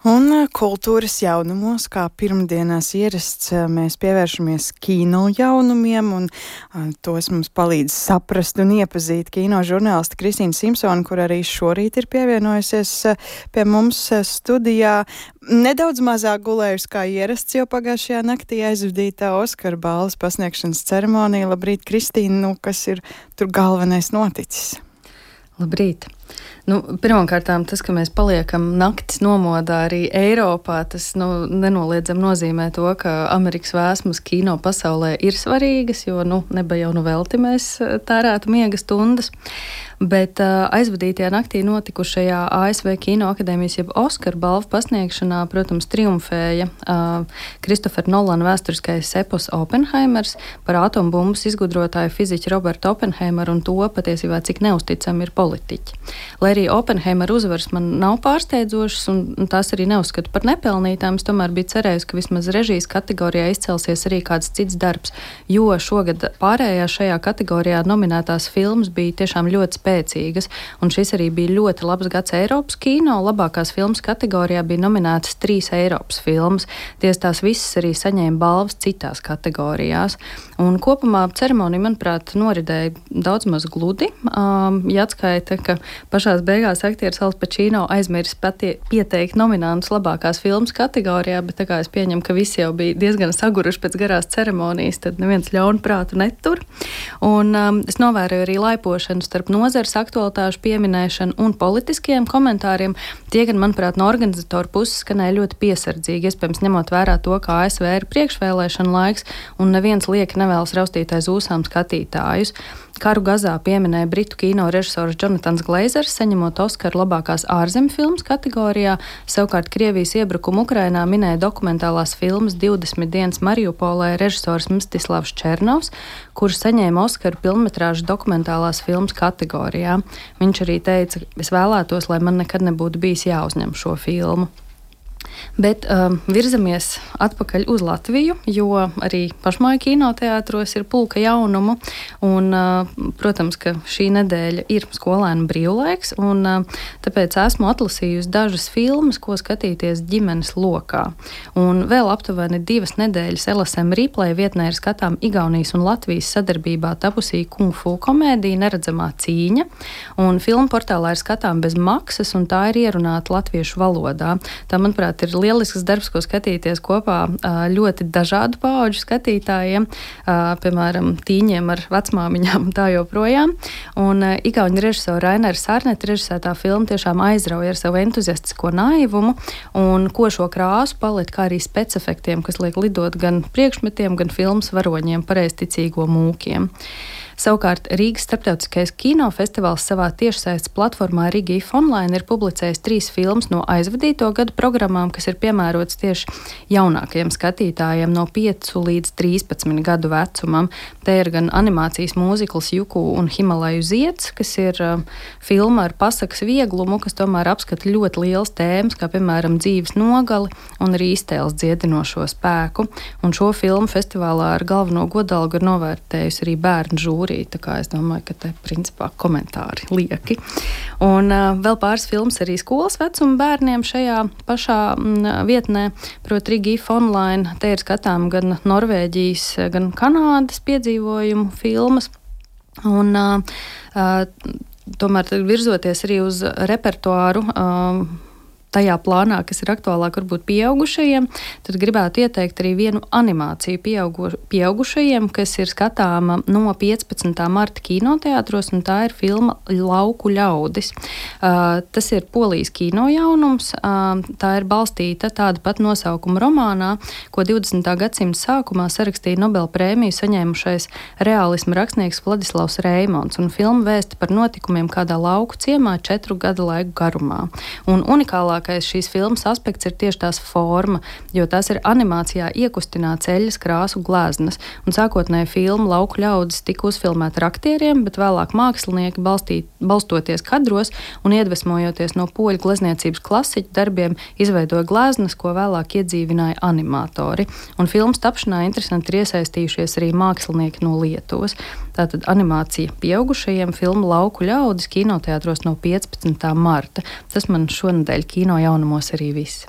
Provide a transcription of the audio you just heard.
Un kultūras jaunumos, kā pirmdienās ierasts, mēs pievēršamies kino jaunumiem, un tos mums palīdz saprast un iepazīt kino žurnāliste Kristīna Simpsone, kur arī šorīt ir pievienojusies pie mums studijā. Nedaudz mazāk gulējusi kā ierasts, jo pagājušajā naktī aizvadītā Oskara balvas pasniegšanas ceremonija. Labrīt, Kristīna, kas ir tur galvenais noticis? Labrīt! Pirmkārtām tas, ka mēs paliekam naktis nomodā arī Eiropā, tas nenoliedzami nozīmē to, ka Amerikas vēsmas kino pasaulē ir svarīgas, jo neba jau velti mēs tērētu miega stundas. Bet aizvadītajā naktī notikušajā ASV Kino akadēmijas jeb Oskara balvu pasniegšanā, protams, triumfēja Kristofera Nolana vēsturiskais epos Oppenheimers par atombumbas izgudrotāju fiziķu Robertu Oppenheimeru un to patiesībā, cik neusticami ir politiķi. Lai arī Oppenheimera uzvaras man nav pārsteidzošas un tās arī neuzskatu par nepelnītām, es tomēr biju cerējusi, ka vismaz režijas kategorijā izcelsies arī kāds cits darbs, jo šogad pārējā šajā kategorijā nominētās filmas bija tiešām ļoti spēcīgas, un šis arī bija ļoti labs gads Eiropas kino. Labākās filmas kategorijā bija nominētas 3 Eiropas filmas. Tās visas arī saņēma balvas citās kategorijās. Un kopumā ceremonija, manuprāt, noridēja daudz maz gludi. Jāatskaita, ka pašās beigās aktieris Al Pacino aizmirs pieteikt nominantus labākās filmas kategorijā, bet tā kā es pieņemu, ka visi jau bija diezgan saguruši pēc garās ceremonijas, tad neviens ļaunu prātu netur. Un es novēroju arī laipošanu starp nozares aktualitāšu pieminēšanu un politiskiem komentāriem. Tie gan, manuprāt, no organizatoru puses skanēja ļoti piesardzīgi, iespējams ņemot vērā to, ka ASV ir priekšvēlēšana laiks un neviens lieki nevēlas raustīt aiz ūsām skatītājus. Karu Gazā pieminēja britu kino režisors Jonatans Glazers, saņemot Oskaru labākās ārzemju filmas kategorijā. Savukārt Krievijas iebrukumu Ukrainā minēja dokumentālās filmas 20 dienas Mariupolē režisors Mstislavs Černovs, kurš saņēma Oskaru pilnmetrāžu dokumentālās filmas kategorijā. Viņš arī teica, es vēlētos, lai man nekad nebūtu bijis jāuzņem šo filmu. Bet virzamies atpakaļ uz Latviju, jo arī pašmāju kinoteātros ir pulka jaunumu, un, protams, ka šī nedēļa ir skolēnu brīvlaiks, un tāpēc esmu atlasījusi dažas filmas, ko skatīties ģimenes lokā. Un vēl aptuveni 2 nedēļas LSM Replay vietnē ir skatām Igaunijas un Latvijas sadarbībā tapusī kung fu komēdija Neredzamā cīņa, un filmu portālā ir skatām bez maksas, un tā ir ierunāta latviešu valodā. Tā, manuprāt, ir lielisks darbs, ko skatīties kopā ļoti dažādu paudžu skatītājiem, piemēram, tīņiem ar vecmāmiņām un tā joprojām. Un igauņu režisora Rainera Sarneta režisētā filma tiešām aizrauja ar savu entuziastisko naivumu un košo krāsu paletu, kā arī specefektiem, kas liek lidot gan priekšmetiem, gan filmas varoņiem, pareizticīgo mūkiem. Savukārt Rīgas starptautiskais kinofestivāls savā tiešsaistes platformā Rigi Online ir publicējis 3 filmas no aizvadīto gadu programmām, kas ir piemērotas tieši jaunākajiem skatītājiem no 5 līdz 13 gadu vecumam. Te ir gan animācijas mūzikls Juku un Himalaju zieds, kas ir filma ar pasakas vieglumu, kas tomēr apskata ļoti liels tēmas, kā piemēram dzīves nogali un arī iztēles dziedinošo spēku. Un šo filmu festivālā ar galveno godalgu ir novērtējusi arī bērnu žūri. Tā kā es domāju, ka te principā komentāri lieki. Un vēl pāris filmas arī skolas vecuma bērniem šajā pašā vietnē, proti Rigi Online. Te ir skatām gan Norvēģijas, gan Kanādas piedzīvojumu filmas. Un tomēr virzoties arī uz repertuāru, tajā plānā, kas ir aktuālāk varbūt pieaugušajiem, tad gribētu ieteikt arī vienu animāciju pieaugušajiem, kas ir skatāma no 15. marta kinoteātros, un tā ir filma Lauku ļaudis. Tas ir Polijas kino jaunums, tā ir balstīta tāda pat nosaukuma romānā, ko 20. gadsimta sākumā sarakstīja Nobela prēmiju saņēmušais reālisma rakstnieks Vladislavs Reimons, un filma vēsta par notikumiem kādā lauku ciemā 4 gadu laiku garumā. Un unikālā šīs filmas aspekts ir tieši tās forma, jo tās ir animācijā iekustināts eļļas krāsu gleznas. Un sākotnēji filma Lauku ļaudis tika uzfilmēta ar aktieriem, bet vēlāk mākslinieki balstoties kadros un iedvesmojoties no poļu glezniecības klasiķu darbiem, izveidoja gleznas, ko vēlāk iedzīvināja animatori. Un filmas tapšanā interesanti ir iesaistījušies arī mākslinieki no Lietuvas. Tātad animācija pieaugušajiem filma Lauku ļaudis kinoteātros no 15. marta. Tas man šonedēļ kino jaunumos arī viss.